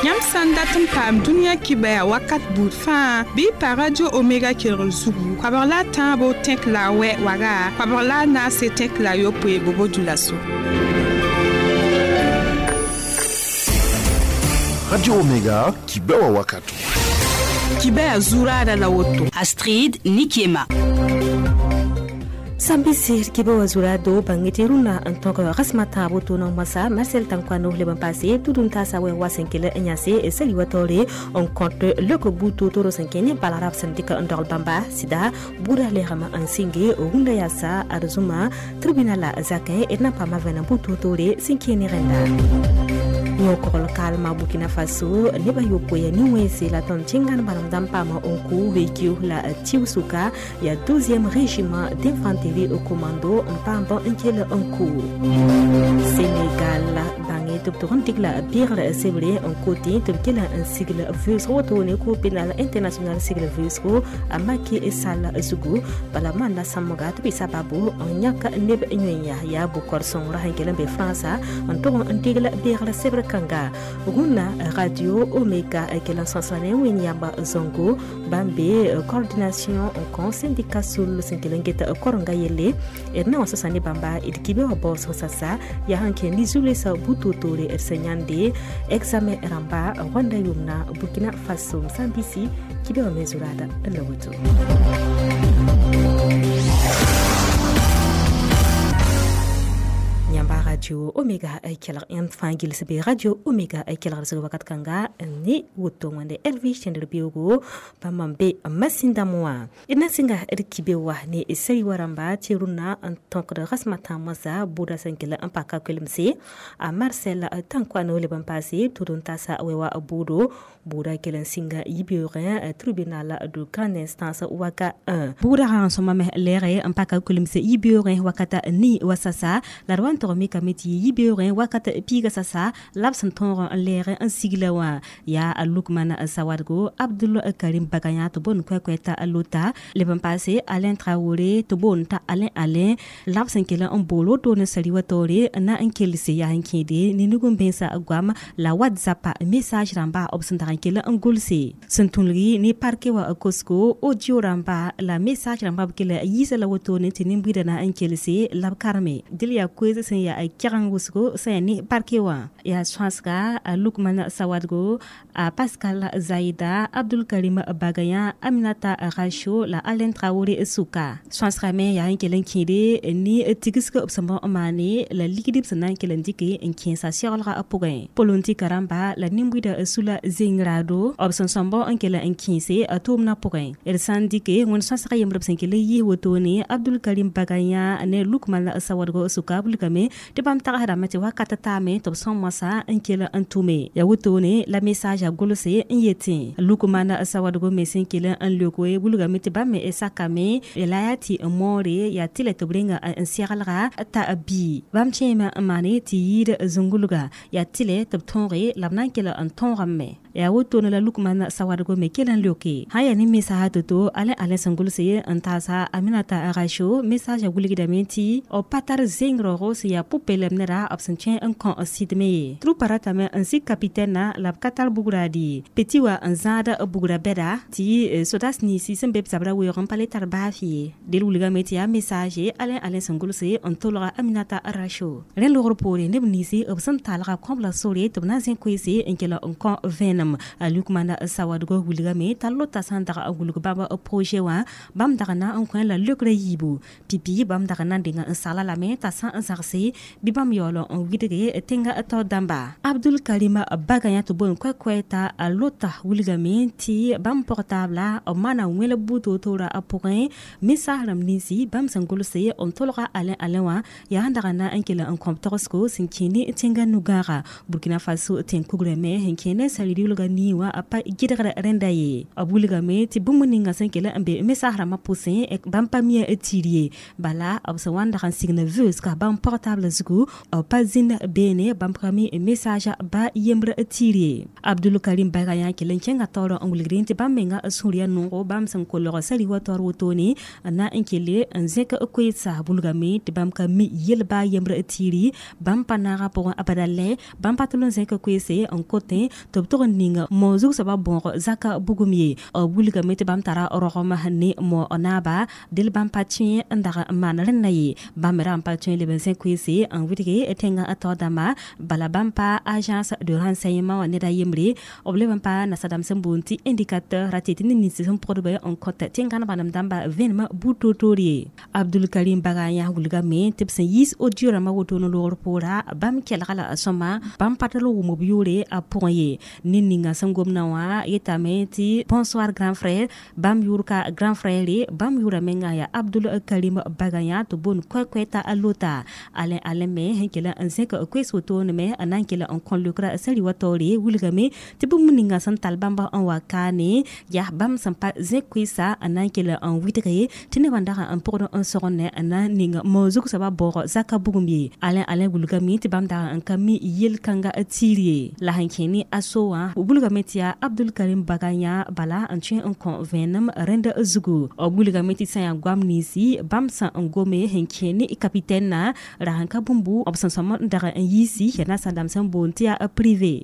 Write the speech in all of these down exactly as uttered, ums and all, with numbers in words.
Yãmb sã n dat n paam dũniyã kibaya wakat buud fãa bɩ y pa Radio Omega kelgr zugu koabg la a tãabo tẽk la a wɛ waga koabg la a naase tẽk la a yopoe bobo dulaso. Radio Omega kibewa wakato. Kibaya zurada la woto. Astrid Nikiema. Sambisi kiba wazura do bangete runa en tant que rasmata boto no masa Marcel Tankwano le ban passé tout d'un tasa we wasenkele nyase et sali watore on compte le ko buto toro senkene balarab sendika ndol bamba sida buda le rama en singe runda yasa arzuma tribunal zakin et na pa mavena buto tore sinkene renda yokol kalma Burkina Faso neba yopoya ni wese la ton tingan baram dampama onku vécu la Tiusuka ya douzième régiment d'infanterie au commando mpamba nkele onku Sénégal bange tub tigla birle sebre en côté tub kela un sigle vusro to ne ko pénal international sigle vusro amaki sal zugu bala manda samoga tub sababu on nyaka neb nyenya ya bukor son rahankele be France on to ntigla birle sebre kanga runa Radio Omega kelan sansane winyamba zongo bambe coordination en syndicat sul senkelengeta koronga yele erna wasasane bamba idkibe wa boss sasa ya hanke ni zule sa butotore ersenyande examen ramba Rwanda yumna Burkina Faso Msambisi kibe wa mezurada lawoto. Radio Omega kelg yãmb fãa gils be Radio Omega kelgr zug wakat kãnga ne woto wẽnde Elvis tẽndr beoogo bãmb n be masĩndame wã d na n sɩnga d kibe wa ne sari wa rãmba tɩ rũnnã n tõkd rasmã tã moasã bʋʋda sẽn kell n paka koelemse a Marcel Tankwano leb n paase tʋd n tasa wɛ wa bʋʋdo bʋʋda kell n sɩnga yibeoogẽ tribunal de grande instance waka un bʋʋda rã n sõma me lɛɛge n paka koelemse yibeoogẽ wakata ni wa sasa la d wa n tog mikame tɩ yibeoogẽ wakat piiga sasa la b sẽn tõog n lɛɛg n sigla wã yaa a Lukman Sawadgo Abdul Karim Baganya tɩ boond koɛ-koɛ t'a lota leb n paase Alain Traoré tɩ boond t'a Alain Alain la b sẽn kell n bool woto ne sari wa taoore na n kelse yaa n kẽede ne nug-n-bẽnsã goam la WhatsApp message rãmba b sẽn dag n kell n gʋlse sẽn tũlgi ne parke wa kosko audio rãmba la message rãmba b kell yiisa la wotone tɩ nin-buiidã na n kelse la b karme dɩl yaa koees sẽn yaa kɛgeng wʋsgo sẽn yaa ne parke wã yaa sõasga a Lukman Sawadgo a Pascal Zaida Abdul Karim Bagaya Aminata Racho la Alain Traoré suka sõasga me yaa n kell n kẽede ne tigsg b sẽn n maane la ligd b sẽn na n kell n dɩke n kẽesa seglgã pʋgẽ polontika rãmba la nin-buiidã sula zengrado b sẽn sõmb n kell n kẽese a tʋʋmdã pʋgẽ d sã n dɩke wẽnd sõasga yembr b sẽn kell n yɩɩs wotone Abdul Karim Bagaya ne Lukman Sawadgo suka bulgame tɩ bãmb tagsdame tɩ wakat taame tɩ b sõm moasã n kell n tʋme ya wotone la message a gʋlse n yetẽ Lukman Sawadgo me sẽn kell n leokoe wilgame tɩ bãmb me sakame la yaa tɩ n moore yaa tɩ la tɩ b renga n seglga t'a bii bãmb kẽeme n maane tɩ yɩɩd zũngulga yaa tɩlɛ tɩ b tõoge la b na n kell n tõogame yaa wotone la Lukman Sawadgo me kell n leoke sã n yaa ne message to-to Alain Alain sẽn gʋlse n taasa Aminata Racho message a wilgdame tɩ b pa tar zeng raoogo sẽn yaa pʋ-peelem neda b sẽn kẽ n kõ sɩdme ye trupa ratame n sik kapitɛnna la b ka tar bugra di peti wa n zãada bugra bɛda tɩ sodas ninsi sẽn be b zabra weoog n pa le tar baaf ye del wilgame tɩ yaa message Alain Alain sẽn gʋlse n tolga Aminata Racho rẽ logr poore neb ninsi b sẽn talga kõbla sore tɩ b na n zẽ koeese n kell n kõ vẽenem Lukman Sawadgo wilgame t'a lota sã n dag n wilg bãmb projet wã bãmb dag na n kõ la leokrã yiibu pipi bãmb dag na n denga n sagla lame t'a sã n zagse bɩ bãmb yaool n widge tẽnga tao dãmba Abdul Karim Bagaya tɩ boond koɛ-koɛ t'a lota wilgame tɩ bãmb portable b maana wẽlb butotora a pʋgẽ message rãmb ninsi bãmb sẽn gʋlse n tolga Alain Alain wã yaa n dag na n kell n kõb togsgo sẽn kẽ ne tẽnga nu-gãaga Burkina Faso tẽn-kugrã me sẽn kẽ ne sari-riolga nii wã a pa gɩdgr rẽnda ye b wilgame tɩ bũmb ninga sẽn kell n be message rãmbã pʋsẽ bãmb pa mia tɩr ye bala b sẽn wa n dag n signa veusga bãmb portable zugu zugu pa zĩnd beene bãmb ka mi message ba yembr tiir ye Abdul Karim Bagaya kell n kẽnga taoor n wilgdẽ tɩ bãmb menga sũur yaa noogo bãmb sẽn kolg sari wa taoor wotone n na n kelle n zẽk koeesa bulgame tɩ bãmb ka mi yel baa yembr tiiri bãmb pa naaga pʋgẽ abada lɛ bãmb pa tʋl n zẽk koeese n kotẽ tɩ b tog n ning mo zug soaba bõog zaka bugum ye b wilgame tɩ bãmb tara rogem ne mo naaba del bãmb pa tõe n dag n maan rẽnda ye bãmb me ra n pa tõe leb n zẽk koeese n wɩdge tẽngã taoor dãmba bala bãmb pa agence de renseignement wã ned a yembre b leb n pa nasadãmb sẽn boond tɩ indicateur ra tɩ tɩ ned nins sẽn pʋgdbã n kõt tẽngãn bãnem dãmba vẽenemã buud toor-toor ye Abdul Karim Bagaya wilgame tɩ b sẽn yiis audio rãmbã wotone loogr poora bãmb kelga la sõma bãmb pa tall wʋm b yʋʋre a pʋgẽ ye ned ninga sẽn gomdã wã yetame tɩ bonsoir grand frère bãmb yʋʋr ka grand frère ye bãmb yʋʋra menga yaa Abdul Karim Bagaya tɩ boond koɛ-koɛ t'a lota alẽ alẽ me sẽn kell n zẽk koees wotone me n na n kell n kõ leokra sari wa taoore wilgame tɩ bũmb ninga sẽn tall bãmba n wa kaane yaa bãmb sẽn pa zẽk koeesa n na n kell n wɩdge tɩ nebã dag n pʋgd n sõgene n na n ning mo zug soaba baoog zaka bugum ye alẽ alẽ wilgame tɩ bãmb dag n ka mi yel-kãnga tiir ye la sẽn kẽ ne a so wã wilgame tɩ yaa Abdul Karim Bagaya bala n tõe n kõ vẽenem rẽnd zugu b wilgame tɩ sã yaa goam ninsi bãmb sã n gome sẽn kẽ ne capitaine na ra sẽn ka bũmbu b sẽn sõm n dag n yiisi yaa nasadãmb sẽn boond tɩ yaa privé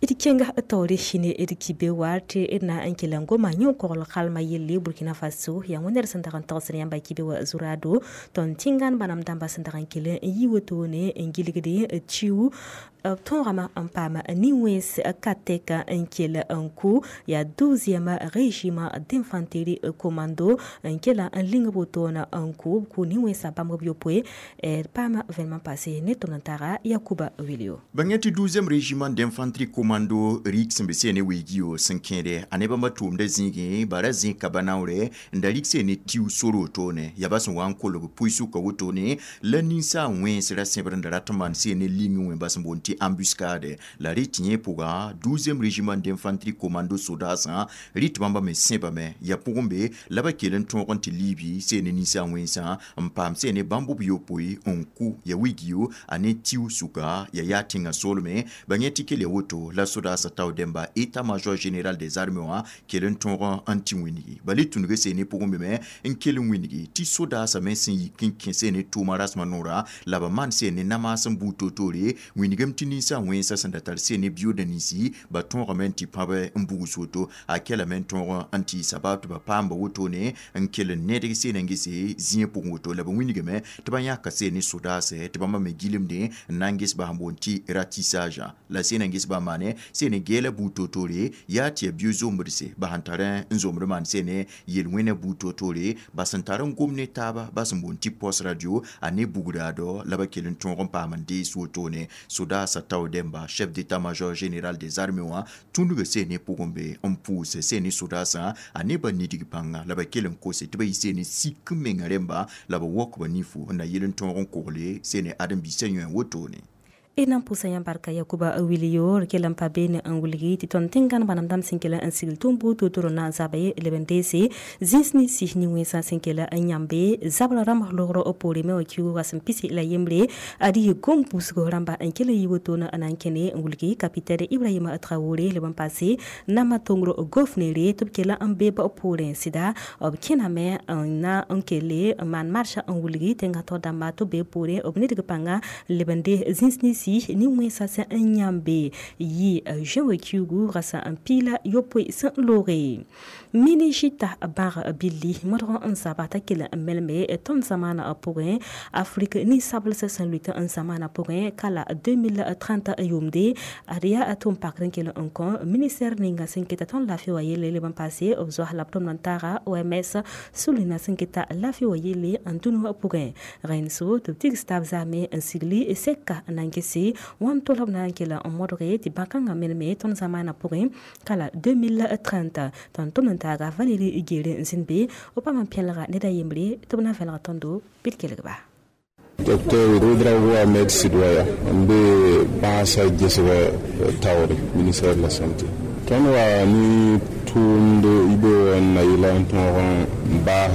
d kẽnga taoore sĩne d kibe wa tɩ d na n kell n goma yõ-kogl kalma yelle Burkina Faso yaa wẽnd sẽn dag n tagsd yãmba kibe wa zurado tõnd tĩngan bãnem dãmba sẽn dag n kell n yi wotone n gilgde tiu b tõogame n paam nin-wẽns ka tɛk n kell n kʋ yaa douzième régiment d'infanterie commando n kela n ling wotone n kʋ b kʋ nin-wẽnsã bãmb b yopoe d paama vẽenemã paase ne tʋm n taga Yakuba Wilio bãng tɩ douzième régiment d'infanterie commando rik sẽn be seene weegiyo sẽn kẽede a ne bãmba tʋʋmdã zĩigẽ bara zĩ ka banaoore n da rik seene tiu sor wotone yaa ba sẽn wa n kolg pʋɩ-sʋka wotone la ninsaag wẽns ra sẽbr n da rat n maan seene ling wẽ ba sẽn boond tɩ embuscade la rɩ tɩ yẽ pʋga douzième régiment d'infanterie commando sodaasã rɩ tɩ bãmba me sẽbame yaa pʋgẽ be la ba kell n tõog n tɩ liibi seene ninsaag wẽnsã n paam seene bãmb b yopoe n kʋ ya wigiyo a ne tiu sʋka ya yaa tẽngã soolme ba yẽ tɩ kell ya woto la sodaasã tao dẽmba état major général des armées wã kell n tõog n tɩ wĩnigi bala y tũnug seene pʋgẽ be me n kell n wĩnigi tɩ sodaasã me sẽn yik n kẽ seene tʋʋma rasmã noora la ba maan seene namaas n buud toor-toore wĩnigame tɩ ninsaag wẽnsã sẽn da tar seene biooda ninsi ba tõogame n tɩ pãb n bugs woto a kelame n tõog n tɩ sabab tɩ ba paamba wotone n kell n nedg seene n gese zĩig pʋgẽ woto la ba wĩnigame tɩ ba yãka seene sodaasɛ tɩ bãmba me gilemdẽ n na n ges ba sẽn boond tɩ ratissage la seene n ges ba maane seene geela buud toor-toore yaa tɩ yaa bio zombdse ba sẽn tar n zomd maan seene yel-wẽnã buud toor-toore ba sẽn tar n gom ne taaba ba sẽn boond tɩ poste radio a ne bugdaadɔ la ba kell n tõog n paam n dees wotone sodaasã tao dẽmba chef d'état-major général des armées wã tũndga seene pʋgẽ be n pʋʋs seene sodaasã a ne ba nidg pãnga la ba kell n kose tɩ ba yɩ seene sik n menga rẽmba la ba wok ba nifu n na yel n tõog n kogle seene ãdem-biisã yõe wotone d na n pʋʋsa yãmb barka Yakuba Wilio d kell n pa beene n wilgi tɩ tõnd tẽngãn bãnem dãmb sẽn kell n sigl tʋm buud toor-toor na n zaba ye leb n deese zĩns ninsi nin-wẽnsã sẽn kell n yãmbe zabra rãmb loogr poore me wã kiuugã sẽn pisi la yembre ad yɩ gom pʋʋsg rãmba n kell n yi wotone n na n kẽne n wilgi capitaine Ibrahima Traoré leb n paase nama tongr gofnere tɩ b kell n be b poorẽ sɩda b kẽname n na n kelle n maan marsã n wilgi tẽngã taoor dãmba tɩ b be poorẽ b nedg pãnga leb n de zĩns ninsi nin-wẽnsã sẽn n yãmbe yɩ juin wa kiugu rasã n piila yopoe sẽn looge minijita bãag billi modg n zaba t'a kell n melme tõnd zamaanã pʋgẽ Afrique nin-sablsã sẽn lʋɩt n zamaanã pʋgẽ kala deux mille trente yʋʋmde ad yaa tʋm pakr n kell n kõ ministère ninga sẽn keta tõnd laafɩ wã yelle leb n paase b zoas la b tʋmd n taaga O M S sulina sẽn keta laafɩ wã yelle n dũni wã pʋgẽ rẽnd so tɩ b tigs taab zaame n sigli sɛka n na n gese wãn tol b na n kell n modge tɩ bãn-kãngã melme tõnd zamaanã pʋgẽ kala deux mille trente tõnd tʋmd n taaga Valérie Gere n zĩnd be b paam n pẽlga ned a yembre tɩ b na vẽlg tõndo bɩ d kelg-ba. Docteur Ouedraogo Ahmed Sidwaya n be bãasã gesga taoore ministère de la Santé. Tõnd wa ni tʋʋmd yibe n na yɩla n tõog n baas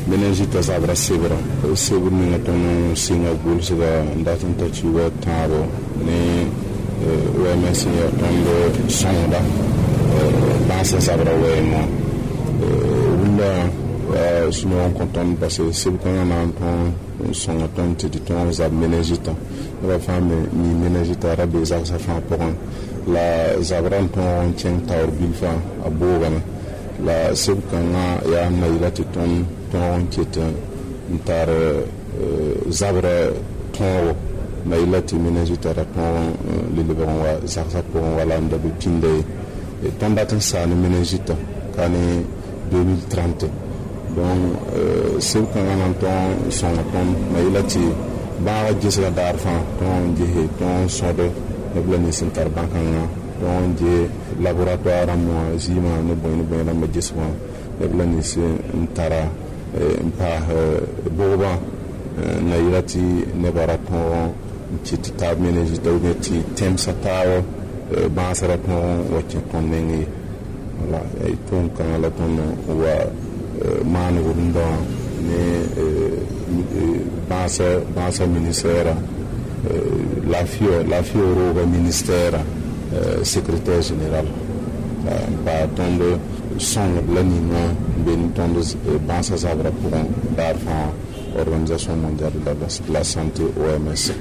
méningite zabra sebra sebr ninga tõnd sɩnga gʋlsga n dat n ta kiuga tãabo ne O M S yaa tõnd sõngda bãasã zabra wɛɛngã wʋlla sũ-noog n kõ tõnd parce que seb kãngã na n tõog n sõnga tõnd tɩ tɩ tõog zab méningitã. Nebã fãa me mi méningitã ra bee zagsã fãa pʋgẽ la zabrã n tõog n kẽng taoor bilfã a boogame la seb kãngã yaa n na yɩla tɩ tõnd tõog n ket n tar zabrã tõogo na yɩla tɩ méningitã ra tõog n le lebg n wa zagsã pʋgẽ wala n da be pĩnda ye. Tõnd dat n saa ne méningitã ka ne deux mille trente. Donc seb kãngã na n tõog n sõnga tõnd na yɩla tɩ bãagã gesga daar fãa tõog n gese tõog n sõd neb la nins n tar bãn-kãngã tõog n ge laboratoire rãmb wã zɩɩmã ne bõe ne bõe rãmbã ges wã neb la nins n tara n paas bʋgbã na yɩla tɩ nebã ra tõog n kɩt tɩ taab méningitã ou bien tɩ tẽmsã taab bãasã ra tõog n wa kẽ tõnd neng ye. Wala tʋʋm kãngã la tõnd wa maan rũndã wã ne bãasã bãasã ministère lafiya lafiya rooga ministère secrétaire général n paa tõnd sõngd la ninga n be ne tõnd bãasã zabrã pʋgẽ daar fãa Organisation mondiale de la santé, O M S.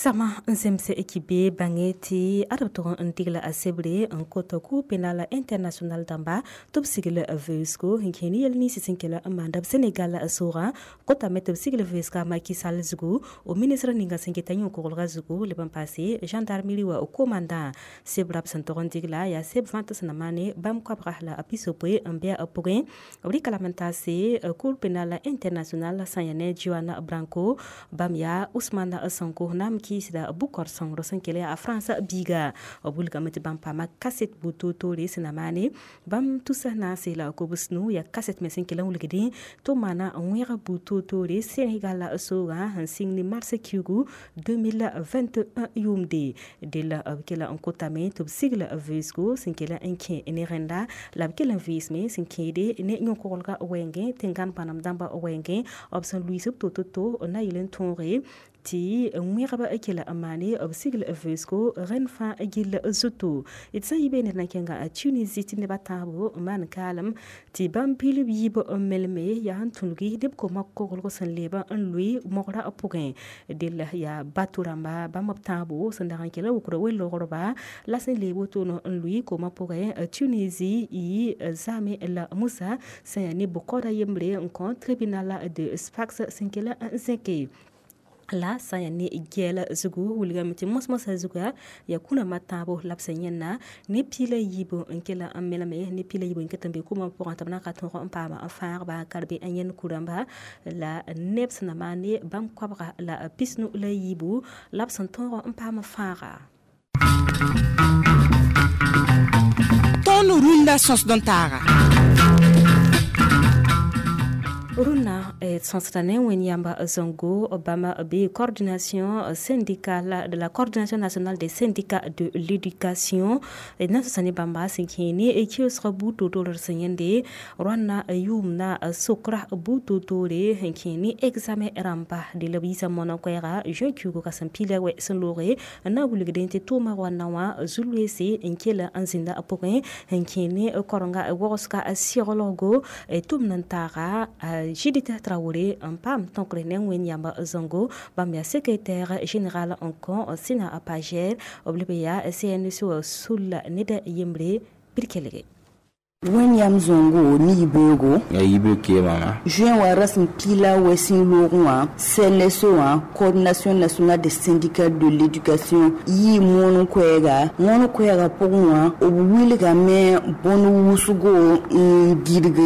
Sama n zemse ekibe bãnge tɩ ad b tʋg n tigla a sebre n kot Cour pénale internationale dãmba tɩ b sigl vɩʋsgo n kẽ ne yɛl ninsã sẽn kell n maanda b Senegal soogã kotame tɩ b sigl vɩʋsga Macky Sall zugu o ministre ninga sẽn keta yõ-koglga zugu leb n paase gendarmerie wa commandant. Sebra b sẽn tog n digla yaa seb vãnt sẽn na maane bãmb koabga la a pisopoe n bɩa pʋgẽ b rɩka lame n taase Cour pénale internationale sã yaa ne Juan Branco bãmb yaa Ousmane Sonko nam kiisda bukor sõngr sẽn kell yaa a Frãns biiga b wilgame tɩ bãmb paama kaset bu-toor-toore sẽn na maane bãmb tusa naase la kobs nu yaa kaset me sẽn kell n wilgdẽ tɩ maana n wẽg bu-toor-toore Senegal soogã sẽn sɩng ne mars kiugu deux mille vingt et un yʋʋmde della b kela n kotame tɩ b sigl vɩʋsgo sẽn kell n kẽ ne rẽnda la b kell n vɩɩsme sẽn kẽede ne yõ-koglga wɛɛngẽ tẽn-gãn bãnem dãmba wɛɛngẽ b sẽn luiis b to-to-to na yɩl n tõoge tɩ wẽgb kela n maane b sigl vɩʋsgo rẽnd fãa gill zutu. D sã n yi be ned na kẽnga a Tunisie tɩ neb a tãabo n maan kaalem tɩ bãmb pilb yiib n melme yaa n tũlgi neb koma koglg sẽn leeb n lʋɩ mogra pʋgẽ dell yaa bato rãmba bãmb b tãabo sẽn dag n kela wʋkda wel-logrba la sẽn leeb wotone n lʋɩ koma pʋgẽ Tunisie y zame la Musa sẽn yaa ne bʋ-kaooda yembre n kõ tribunal de Sfax sẽn kell n zẽke la sã n yaa ne gɛɛla zugu wilgame tɩ mos-mosã zuga yaa kũnã tãabo la b sẽn yẽnna ne piila yiibu n kell n melme ne piila yiibu n ket n be kʋmã pʋgẽ tɩ b na ka tõog n paama n fãagba ka d be n yẽnd ku-rãmba la neb sẽn na maan ne bãmb koabga la pisnu la yiibu la b sẽn tõog n paam fãaga. Tõnd rũndã sõsd n taaga. Rũnnã sõsda ne Wẽnd yãmba Zongo bãmb be coordination syndicale de la Coordination nationale des syndicats de l'éducation na sõsa ne bãmba sẽn kẽ ne kiosg bu-toor-toord sẽn yẽnde rõanna yʋʋmna sokra bu-toor-toore sẽn kẽ ne examen rãmba de la b yiisa moanã koɛɛga juin kiugu ka sẽn pila wɛ sẽn looge n na n wilgdẽ tɩ tʋʋma rõanna wã zu-loeese n kell n zĩnda pʋgẽ sẽn kẽ ne korenga wagsga seglgo tʋm n taaga. Judith Traoré n paam tõkre ne Wẽnd yãmba Zongo bãmb yaa secrétaire général n kõ sẽna pager b leb yaa C N S O sulla ned yembre bir kelge. Wẽn-yam Zongo ne yibeoogo. Ya yibeoog keemame. Juin wã rasem piila wɛ sẽn loogẽ wã C N S O wã, Coordination nationale des syndicats de l'éducation, yɩ moon koɛɛga moon koɛɛga pʋgẽ wã b wilgame bõn wʋsgo n gɩdg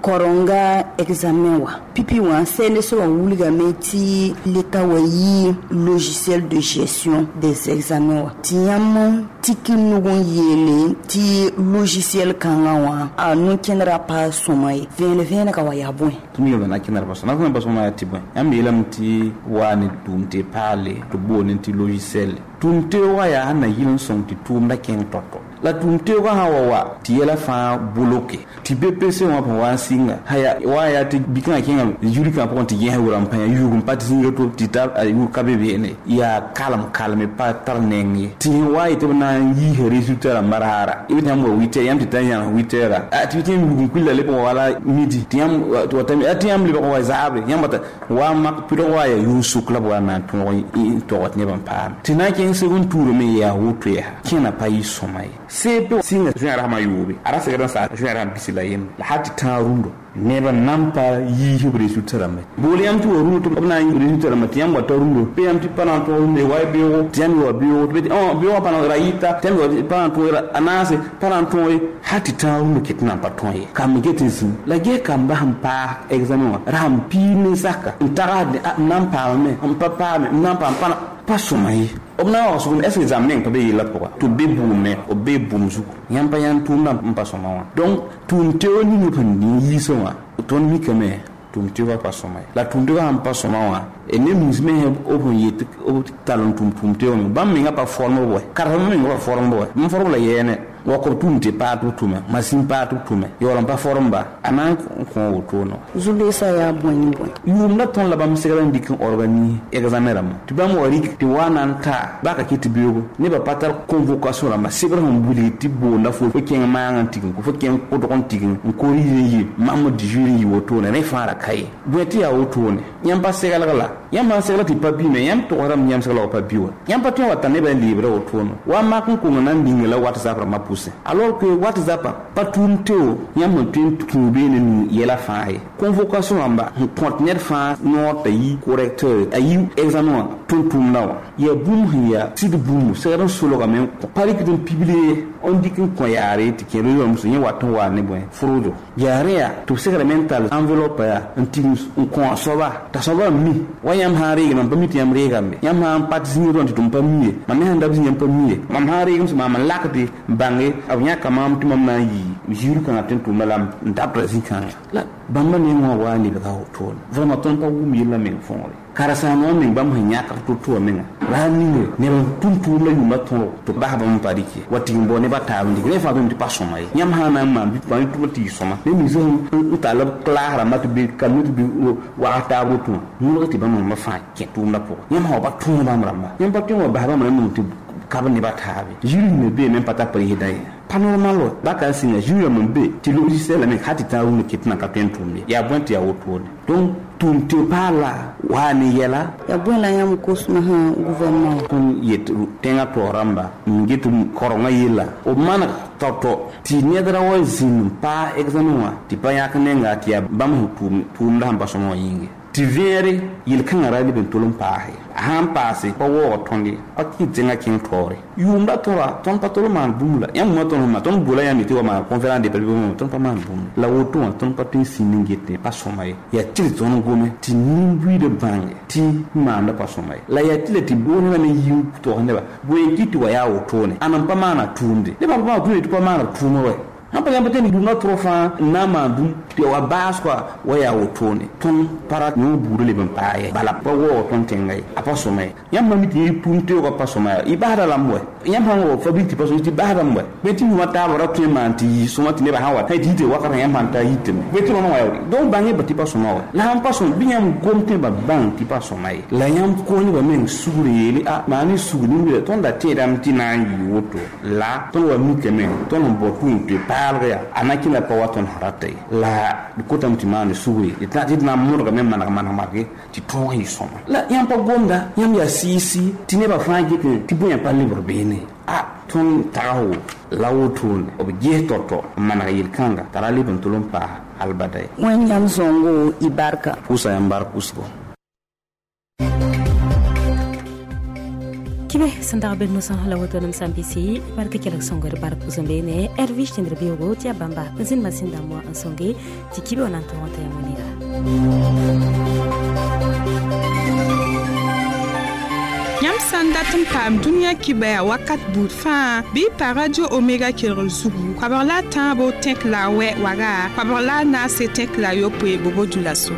korenga examen wã pipi wã C N S O wã wilgame tɩ leta wa yɩ logiciel de gestion des examens wã tɩ yãmb tik n nug n yeele tɩ logiciel kãngã wã. wã a nu-kẽndrã pa sõma ye vẽen vẽenega wa yaa bõe tɩ m na kẽndr pa sõma na pa sõma yaa tɩ bõe yãmb yeelame tɩ waa ne tʋʋm tɩ paale tɩ boone tɩ logiciel tʋʋm teoogã yaa sẽn na yɩl n sõng tɩ tʋʋmda kẽng tɔtɔ la tʋʋm teoogã sã wa wa tɩ yɛla fãa boloke tɩ B P C wã pẽ wa n sɩnga haya wa yaa tɩ bikãngã kẽnga zurikã pʋgẽ tɩ gẽs wʋra n pãya yuug n pa tɩ zĩiga to tɩ ta yʋʋg ka be beene yaa kalem kalme pa tar neng ye tɩ sẽn wa yetɩ b na n yiisa résultat rãmbã raara b tɩ yãmb wa huit heures yãmb tɩ ta n yãgs huit heures tɩ tɩ yãmb yuug n kuila leb n wala midi tɩ yãmb tɩ wa tɩ yãmb lebg n wa zaabre yãmb wata wa mak pɩdg wa yaa yʋʋn sʋk la b wa na n tõog n tog tɩ neb n paame tɩ na n kẽng seg n tuurame yaa woto yaa kẽna pa yɩ sõma ye C P sɩnga zoɛɛr sãma yoobe a ra segd n saa zoɛɛr sãn bisi la yembre la hal tɩ tãag rũndɔ neb n nan pa yiisb résultat rãmba bool yãmb tɩ wa rũndɔ tɩ b na n résultat rãmba tɩ yãmb wa ta rũndɔ bɩ yãmb tɩ pa na n tõog rũndɔ wa beoogo tɩ yãmb wa beoogo tɩ beoogã pa na ra yɩta tɩ yãmb wa pa na n tõog a naase pa na n tõog hal tɩ tãag rũndɔ ket n na n pa tõe ye kamb get n zĩm la gee kamba sẽn paas examen wã ra sẽn piig nin-saka n tagsd n na n paamame n pa paame n na n paam pa pa sõma ye b na n wagsg est ce que zãmb neng pa be yella pʋga tɩ b be bʋʋm b be bũmb zugu yãmb pa yãnd tʋʋmdã n pa sõma wã donc tʋʋm teo ning sẽn yiisã wã tõnd mikame tʋʋm teoogã pa sõma ye la tʋʋm teoogã sẽn pa sõma wã ne mins me b sẽn yet b tall n tʋm tʋʋm teoogã me bãmb menga pa form b wɛ karem menga pa form b wɛ bãmb form la yɛɛne wa kob tʋʋm tɩ paat b tʋme masin paat b tʋme yaool n pa form ba a na n kõ wotone zu-loeesã yaa bõe ne bõe yʋʋmda tõnd la bãmb segr n dɩk n organise examen rãmbã tɩ bãmb wa rik tɩ wa na n taa baka kɩ tɩ beoogo nebã pa tar convocation rãmba sebr sẽn wilg tɩ boonda fo fo kẽng maang n tigim fo kẽng kʋdg n tigim n corrige n yi mamd jury n yi wotone rẽ fãa ra ka ye bõe tɩ yaa wotone yãmb pa seglg la yãmb sãn segla tɩ pa bime yãmb togsdame yãmb segla wa pa bi wa yãmb pa tõe n wa ta nebã n leebra wotone wa mak n kong na n ninga la WhatsApp rãmbã pʋsẽ alors que WhatsApp pa tʋʋm teo yãmb sẽn tõe n tũu beene nu yɛla fãa ye convocation rãmba sẽn kõt ned fãa noor t'a yi correcteur a yi examen wã tõnd tʋʋmda wã yaa bũmb sẽn yaa sɩd bũmb segd n solgame n pa rɩkd n publier n dɩk n kõ yaare tɩ kẽer yõmso yẽ wat n waa ne bõe frodo yaa rẽ yaa tɩ b segrame n tall enveloppe yaa n tigim n kõ a soaba t'a soaba n mi wa yãmb sã n reegame m pa mi tɩ yãmb reegame yãmb sã n pat zĩig rõn tɩ tɩ m pa mi ye mam me sãn da b zĩ yãmb pa mi ye mam sã n reegem sẽn maam n lakde n bãnge b yãka maam tɩ mam na n yɩ ziir kãngã tɩ n tʋʋmda la n dabdra zĩ-kãngã la bãmba neng wã waa lebga wotone vraiment tõnd pa wʋm yellã meng võore karen-saambã meng bãmb sẽn yãk to-to wã menga la a ninge neb n tʋm tʋʋmda yʋʋmã tõrg tɩ bas bãmb n pa rɩk ye wa tɩ n bao nebã taab n dɩk rẽ fãa tɩ tɩ pa sõma ye yãmb sã na n maan bɩ tʋma tɩ yɩ sõma ne mins n tall b klaas rãmbã tɩ be kalme tɩ bɩ wag taab woto wã mõlg tɩ bãmb rãmbã fãa kẽ tʋʋmdã pʋgã yãmb sã wa pa tõog bãmb rãmba yãmb pa tõe n wa bas bãmb rãmb nong tɩ kab nebã taabe zĩri me beeme n pa tar presida ye pa normal wa baka n sɩnga zĩig rãmb n be tɩ logiciel la me hal tɩ tãag rũndã ket na ka tõe n tʋʋmde yaa bõe tɩ yaa wotone donc tʋʋm tɩ paal la waa ne yɛla yaa bõe la yãmb kosmã sã gouvernement wã tõnd yet tẽngã taoor rãmba n get korengã yella b maneg tao-tao tɩ ned ra wa zĩnd n paas examen wã tɩ pa yãk nenga tɩ yaa bãmb sẽn tʋʋmda sẽn pa sõma wã yĩnge tɩ vẽere yel-kãngã ra leb n tol n paase a sãn paase pa waoog tõnd ye pa kɩ tẽngã kẽng taoore yʋʋmda tõra tõnd pa tol n maan bũmb la yãmb wã tõnd sẽn maan tõnd bola yãmb tɩ wa maan conférence de presse tõnd pa maan bũmb la woto wã tõnd pa tõe n sĩnd n get pa sõma ye yaa tɩ d tõnd gome tɩ nin-buiidã bãnge tɩ maanda pa sõma ye la yaa tɩ la tɩ boonebã me yi tog neba bõe kɩ tɩ wa yaa wotone ãn n pa maana tʋʋmde nebã pa maana tʋʋmde tɩ pa maana tʋʋma wɛ sãn pa yãmb tẽn dũnã tʋrg fãa n na n maan bũmb tɩ wa baas koa wa yaa wotone tõnd pa ra yõ buudã leb n paa ye bala pa waoog tõnd tẽnga ye a pa sõma ye yãmb sã mi tɩ tʋʋm teoogã pa sõma ya y basda lame wɛ yãmb sãn wa fabrique tɩ pa sõma tɩ basdame wɛ bõe tɩ yʋmã taabã ra tõe n maan tɩ yɩ sõma tɩ nebã sã wa tɩ yite wakatã yãmb sãn ta yitame bõe tɩ rõnd wã ya donc bãng ba tɩ pa sõma wɛ la sãn pa sõm bɩ yãmb gom tẽ ba bãng tɩ pa sõma ye la yãmb kos nebã meng sugr yeele a maan ne sugr nin tõnd da tẽedame tɩ na n yɩ woto la tõnd wa mikame tõnd sẽn bao tʋʋm tɩ paalg yaa a na kẽla pa wa tõnd sẽn rata ye la d kotame tɩ maan sugre tɩ d na n modgame n maneg maneg marge tɩ tõog yɩ sõma la yãmb pa gomda yãmb yaa sɩɩsɩ tɩ nebã fãa get tɩ bõe pa lebg beene a tõnd tags la wotone b ges tao-tao n maneg yel-kãnga t'a ra leb n tol n paas albada ye wẽnd yãmb sõngo y barka pʋʋsa yãmb bark wʋsgo Kibe sẽn dag be nusã la woto nem sã n bɩsi bark kelg sõngr bark pʋsẽ beene Hervi tẽndr beoogo tɩ yaa bãmba n zĩnd masĩn dãmb wã n sõnge tɩ kibe wã na n tõog t'a yãmb nega Yãmb Yãmb sã n dat n paam dũniyã kibɛa wakat buud fãa bɩ y pa Radio Omega kelgr zugu koabg la a tãabo tẽk la a wɛ waga koabg la a naase tẽk la a yopoe bobo dioulasso.